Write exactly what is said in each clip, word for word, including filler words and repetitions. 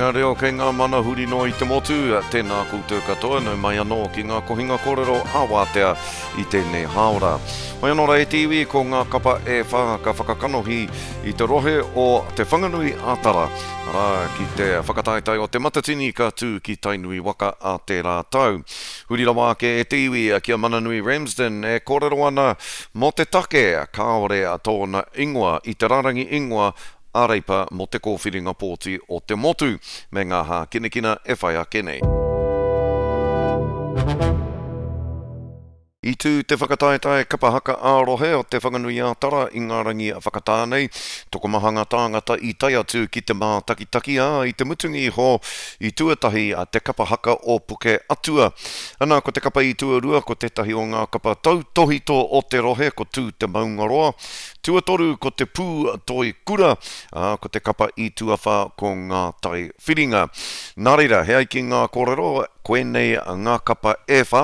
kōhanga reo, kei ngā mana huri noa i te motu, tēnā koutou katoa, nau mai anō ki ngā kohinga kōrero ā-wātea i tēnei hāora. Mai anō rā e te iwi, ko ngā kapa e whā ka whakakanohi i te rohe o Te Whanganui a Tara, arā, ki te whakataetae o Te Matatini ka tū ki Tainui waka a tērā tau. Huri rawa ake e te iwi ki a Mananui Ramsden e kōrero ana mō te take kāore tōna ingoa i te rārangi ingoa a Reipa mō te kōwhiringa pōti o te motu, me ngā hākinakina e whai ake nei. I tū te whakataetae kapa haka ā-rohe o Te Whanganui-ā-Tara i ngā rangi whakatā nei. Tokomaha ngā tāngata i tae atu ki te mātakitaki, ā, i te mutunga iho i tuatahi te kapa haka o Puke Atua. Ana, ko te kapa i tuarua ko tētahi o ngā kapa tautōhito o te rohe ko Tū Te Maungaroa. Tuatoru ko te Pū Toi Kura, ā, ko te kapa i tuawhā ko Ngā Tai Whiringa. Nā reira, he ai ki ngā kōrero, koinei ngā kapa e whā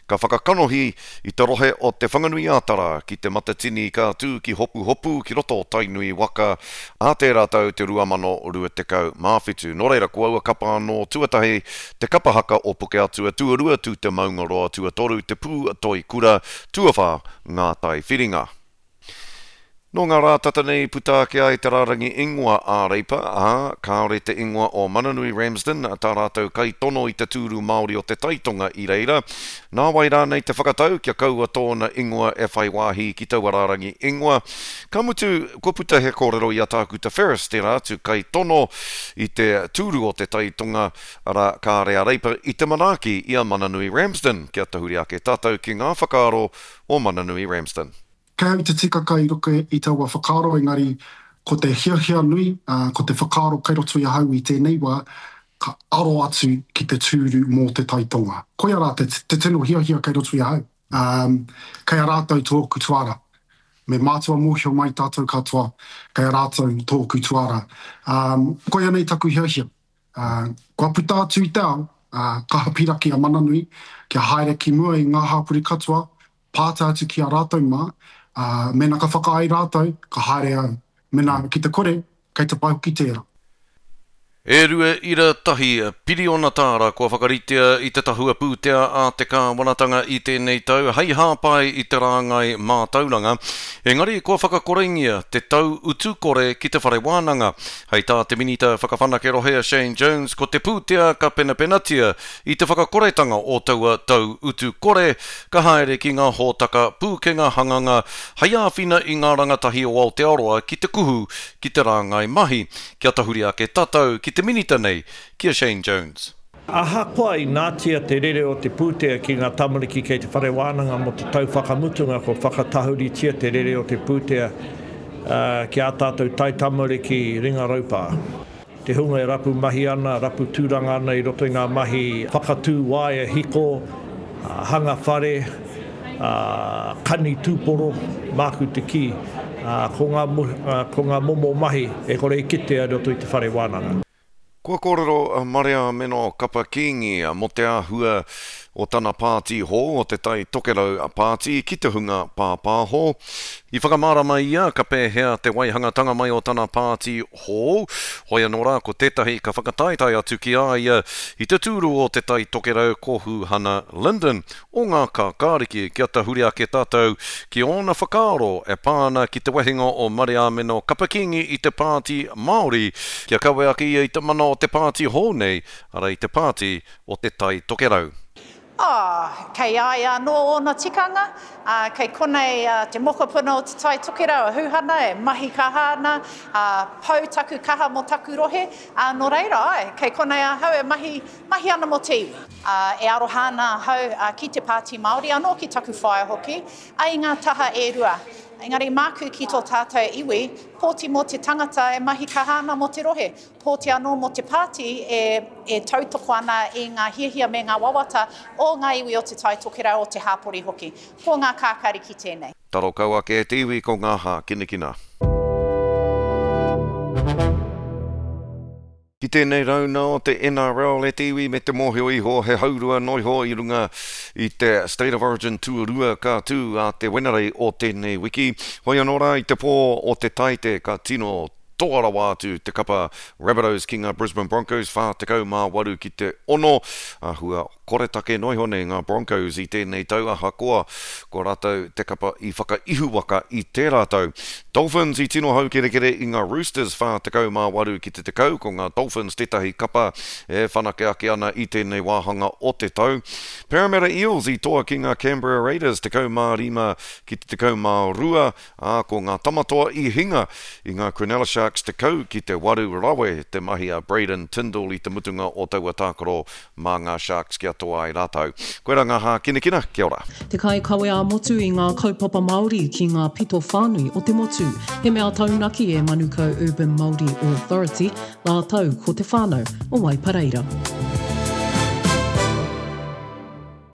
ka whakakanohi i te rohe o Te Whanganui-ā-Tara ki Te Matatini ka tū ki Hopuhopu ki roto o Tainui waka ā tērā tau te rua mano rua tekau mā whitu. Nō reira, ko aua kapa anō tuatahi, te kapa haka o Pukeatua, tuarua Tū Te Maungaroa, tuatoru te Pū Toi Kura, tuawhā Ngā Tai Whiringa. Nō ngā rā tata nei i puta ake ai te rārangi ingoa a Reipa, ā, kāore te ingoa o Mananui Ramsden, tā rātou kaitono i te tūru Māori o Te Taitonga i reira. Nā wai rānei te whakatau kia kaua tōna ingoa e whai wāhi ki taua rārangi ingoa? Ka mutu, kua puta he kōrero i a Tākuta Ferris, tērā atu kaitono i te tūru o Te Taitonga, arā, kāre a Reipa i te manaaki i a Mananui Ramsden. Kia tahuri ake tātou ki ngā whakaaro o Mananui Ramsden. Kei au te tikaka i roto i taua whakaaro engari ko te hiahia nui, ko te whakaaro kei roto i ahau i tēnei wā, ka aro atu ki te tūru mō te Tai Tonga. Koia rā te, te tino hiahia kei roto i ahau. Um, kei a rātou tōku tuara. Me mātua mōhio mai tātou katoa, kei a rātou tōku tuara. Um, koia nei taku hiahia. Uh, kua puta atu i te ao, uh, kaha piraki a Mananui, kia haere ki mua i ngā hāpori katoa, pātai atu ki a rātou mā, ā, mēnā ka whakaae rātou, ka haere au. Mēnā ki te kore, kei te pai hoki tērā. E rua ira tahi piriona tāra kua whakaritea i te tahua pūtea a te kāwanatanga i tēnei tau hei hāpai i te rāngai mātauranga, engari kua whakakorengia te tau utu kore ki te whare wānanga. Hei tā te Minita Whakawhanake Rohe a Shane Jones ko te pūtea ka penapenatia i te whakakoretanga o taua tau utu kore ka haere ki ngā hōtaka pūkenga hanganga hei āwhina i ngā rangatahi o Aotearoa ki te kuhu ki te rāngai mahi. Kia tahuri ake tātou ki te minita nei, ki a Shane Jones. Ahakoa i nātia te rere o te pūtea ki ngā tamariki kei te whare wānanga mō te tau whakamutunga kua whakatahuritia te rere o te pūtea ki ā tātou taitamariki ringa raupā. Te hunga e rapu mahi ana, rapu tūranga ana i roto i ngā mahi whakatū waea hiko, hanga whare, kani tūporo, māku te kī, ko ngā, ko ngā momo mahi e kore e kitea i roto i te whare wānanga. Kua kōrero a Mariameno Kapa Kingi mō te āhua o tana pāti hou, o Te Tai Tokerau Pāti, ki te hunga pāpāho. I whakamārama ia ka pēhea te waihangatanga mai o tana pāti hou, hoi anō rā ko tētahi ka whakataetae atu ki a ia i te tūru o Te Tai Tokerau ko Huhana Lyndon o Ngā Kākāriki. Kia tahuri ake tātou ki ōna whakaaro e pā ana ki te wehenga o Mariameno Kapa Kingi i te Pāti Māori, kia kawe ake ia i te mana o te pāti hou nei, arā i te pāti o Te Tai Tokerau. Ā, kei a ia anō ōna tikanga, ā, kei konei te mokopuna o Te Tai Tokerau, a Huhana, e mahi kaha ana, ā, pau taku kaha mō taku rohe, ā, nō reira, āe, kei konei ahau e mahi, mahi ana mō te iwi. Ā, e aroha ana ahau ki te Pāti Māori, anō ki taku whaea hoki, ā, i ngā taha e rua. Engari māku ki tō tātou iwi, pōti mō te tangata e mahi kaha ana mō te rohe, pōti anō mō te pāti e, e tautoko ana i ngā hiahia me ngā wawata o ngā iwi o Te Tai Tokerau, o te hāpori hoki. Ko ngā kākāriki tēnei. Taro kau ake e te iwi ko ngā hākinakina. Ki tēnei rauna o te N R L e te iwi me te mōhio iho he haurua noiho i runga i te State of Origin tuarua ka tū a te Wenerei o tēnei wiki. Hoi anō rā i te pō o te Taite ka tino Toa rawa atu te kapa Rabbitohs ki ngā Brisbane Broncos, whā tekau mā waru ki te ono. Āhua koretake noa iho nei ngā Broncos i tēnei tau ahakoa ko rātou te kapa i whakaihuwaka i tērā tau. Dolphins i tino haukerekere i ngā Roosters whā tekau mā waru ki te tekau, ko ngā Dolphins tētahi kapa e whanake ake ana i tēnei wāhanga o te tau. Parramatta Eels i toa ki ngā Canberra Raiders tekau mā rima ki te tekau mā rua, ā, ko ngā Tamatoa i hinga i ngā Cronulla Sharks tekau ki te waru rawe te mahi a Braydon Tindall i te mutunga o taua tākaro mā ngā Sharks kia toa ai rātou. Koirā ngā hākinakina, kia ora. Te kaikawe ā-motu i ngā kaupapa Māori ki ngā pito whānui o te motu. He mea taunaki e Manukau Urban Māori Authority rātou ko te whānau o Waipareira.